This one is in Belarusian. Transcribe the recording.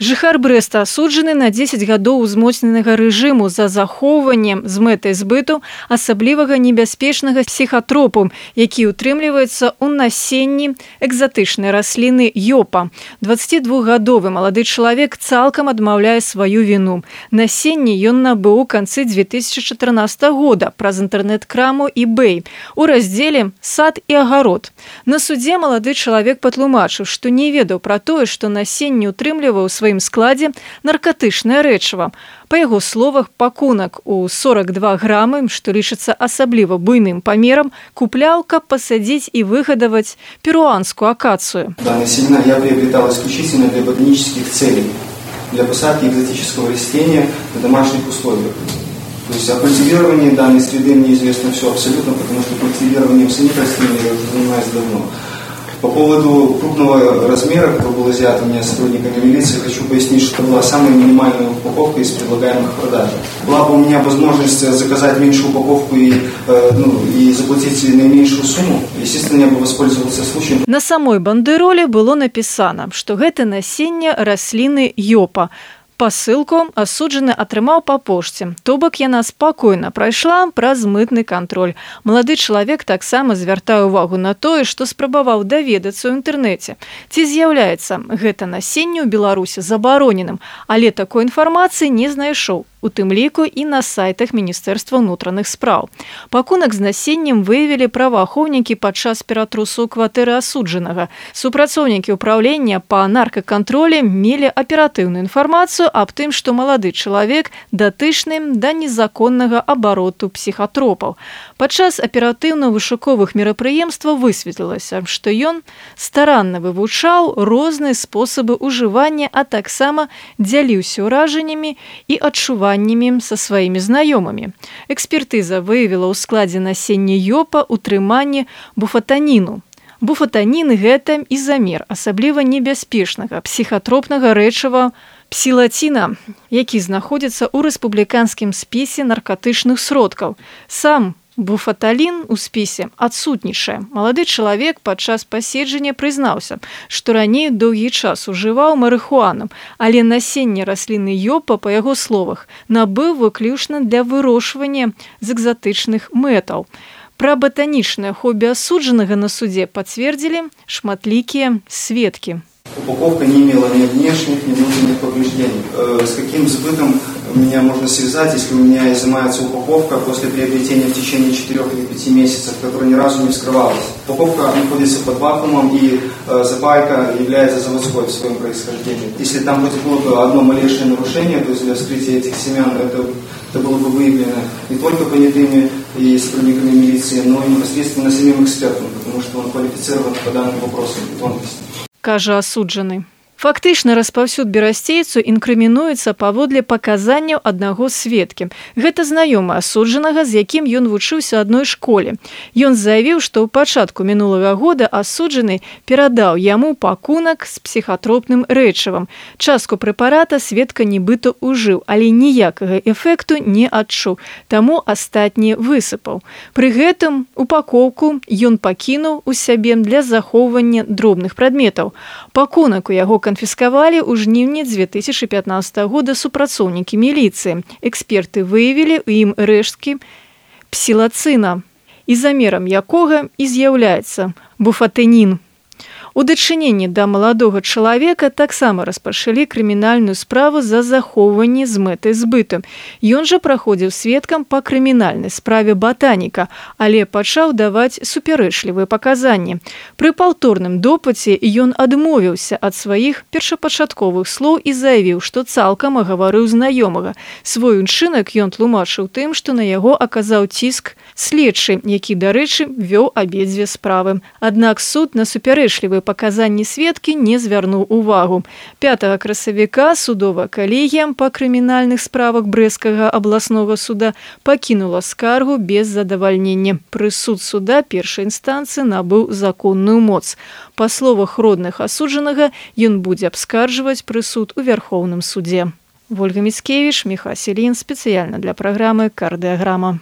Жыхар Брэста асуджаны на 10 гадоў узмоцненага рэжыму за захоўванне з мэтай збыту асаблівага небяспечнага псіхатропу, які утрымліваецца ў насенні экзатычнай расліны йопа. 22-гадовы малады чалавек цалкам адмаўляе сваю віну. Насенне ён набыў у канцы 2014 года праз інтэрнэт-краму eBay у раздзеле «Сад і агарод». На судзе малады чалавек патлумачыў, што не ведаў пра тое, што насенне утрымліваў у сваім складзе наркатычнае рэчыва. Па яго словах, пакунак у 42 грамы, што лічыцца асабліва буйным памерам, купляў, каб пасадзіць і выгадаваць перуанскую акацию. Данный семена я приобретал исключительно для ботанических целей, для посадки экзотического растения в домашних условиях. То есть о культивировании данной среды мне известно все абсолютно, потому что культивированием самих растений я уже занимаюсь давно. По поводу крупного размера, который был изъят у меня сотрудниками милиции, хочу пояснить, что это была самая минимальная упаковка из предлагаемых продаж. Была бы у меня возможность заказать меньшую упаковку и заплатить наименьшую сумму, естественно, я бы воспользовался случаем. На самой бандероле было написано, что гэта насенне расліны йопа. Пасылку асуджаны атрымаў па пошце, то бок яна спакойна прайшла праз мытны кантроль. Малады чалавек таксама звяртае ўвагу на тое, што спрабаваў даведацца ў інтэрнэце. Ці з'яўляецца гэта насенне ў Беларусі забароненым, але такой інфармацыі не знайшоў. У тым ліку і на сайтах Міністэрства ўнутраных спраў. Пакунак з насеннем выявілі праваахоўнікі падчас ператрусу кватэры асуджанага. Супрацоўнікі ўпраўлення па наркакантролі мелі аператыўную інфармацыю аб тым, што малады чалавек датычны да незаконнага абароту псіхатропаў. Падчас аператыўна-вышуковых мерапрыемстваў высветлілася, што ён старанна вывучаў розныя спосабы ўжывання, а таксама дзяліўся ўражаннямі і адчуваннямі са сваімі знаёмымі. Экспертыза выявіла ў складзе насення йопа утрыманне буфатаніну. Буфатанін – гэта ізамер асабліва небяспечнага псіхатропнага рэчыва псілаціна, які знаходзіцца ў рэспубліканскім спісе наркатычных сродкаў. Сам буфаталін у спісе адсутнічае. Малады чалавек падчас паседжання прызнаўся, што раней доўгі час ужываў марыхуану, але насенне расліны йопа, па яго словах, набыў выключна для вырошчвання з экзатычных мэтаў. Пра ботанічнае хобі асуджанага на судзе пацвердзілі шматлікія сведкі. Упаковка не имела ни внешних, ни внутренних повреждений. С каким сбытом меня можно связать, если у меня изымается упаковка после приобретения в течение 4 или 5 месяцев, которая ни разу не вскрывалась? Упаковка находится под вакуумом, и запайка является заводской в своем происхождении. Если там хоть было бы одно малейшее нарушение, то есть для вскрытия этих семян, это было бы выявлено не только понятыми и сотрудниками милиции, но и непосредственно самим экспертом, потому что он квалифицирован по данным вопросам и тонкостям. Кажа асуджаны. Фактычна распаўсюд берасцейцу інкрымінуецца паводле паказанняў аднаго сведкі. Гэта знаёмы асуджанага, з якім ён вучыўся адной школе. Ён заявіў, што ў пачатку мінулага года асуджаны перадаў яму пакунак з псіхатропным рэчывам. Частку прэпарата сведка нібыта ўжыў, але ніякага эфекту не адчуў, таму астатні высыпаў. Пры гэтым упакоўку ён пакінуў у сябе для захоўвання дробных прадметаў. Пакунак у яго канфіскавалі ў жніўні 2015 года супрацоўнікі міліцыі. Эксперты выявілі ў ім рэшткі псілацына, ізамерам якога і з'яўляецца буфатанін. У дачыненні да маладога чалавека таксама распачалі крымінальную справу за захоўванне з мэтай збыту. Ён жа праходзіў сведкам па крымінальнай справе батаніка, але пачаў даваць супярэчлівыя паказанні. Пры паўторным допыце ён адмовіўся ад сваіх першапачатковых слоў і заявіў, што цалкам агаварыў знаёмага. Свой учынак ён тлумачыў тым, што на яго аказаў ціск следчы, які, дарэчы, вёў абедзве справы. Аднак суд на супярэчлівыя паказанні сведкі не звярнуў увагу. 5 красавіка судовая калегія па крымінальных справах Брэсцкага абласнога суда пакінула скаргу без задавальнення. Прысуд суда першай інстанцыі набыў законную моц. Па словах родных асуджанага, ён будзе абскарджваць прысуд у Вярхоўным судзе. Вольга Міцкевіч, Міха Селін, спецыяльна для праграмы «Кардыаграма».